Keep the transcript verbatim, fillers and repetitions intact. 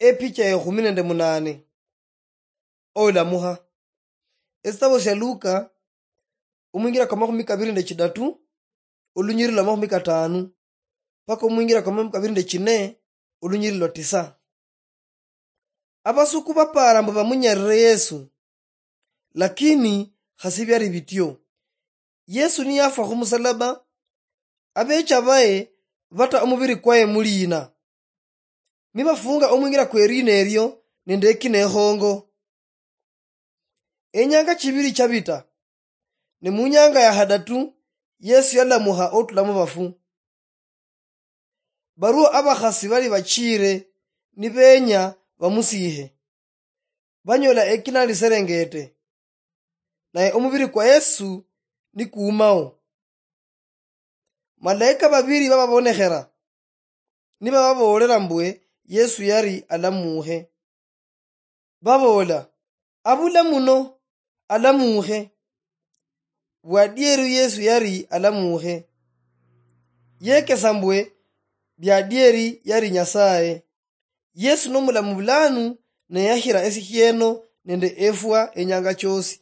Epicha ya ekhumi nende munane. Olamuha. Esitabo sia Luka, omwingira kwa makhumi kabiri nende chidatu, olunyiriri lwa makhumi katanu, paka omwingira kwa makhumi kabiri nende chine, olunyiriri lwa tisa. Abasuku bapara mbu bamunyarire Yesu, lakini khasi biali bitio. Yesu niyafwa khumusalaba, abecha baye bata omubiri kwaye muliina, nibafunga omwingira kwe liina elio nende ekina ekhongo. Enyanga chibiri chabita, ne munyanga ya khadatu Yesu yalamuha otula mubafu. Baruo abakhasi bali bachire nibenya bamusiihe, banyola ekina liserengete, naye omubiri kwa Yesu nikuumao. Malaika babiri bababonekhera, nibababoolera mbwe Yesu yari alamuuhe. Baboola, "Abula muno, alamuuhe." Bwadieri Yesu yari alamuuhe. Yekesa mbwe biadieri yari Nyasaye. Yesu nomulamu bulanu, ne yahira esikhieno nende efwa enyanga choosi.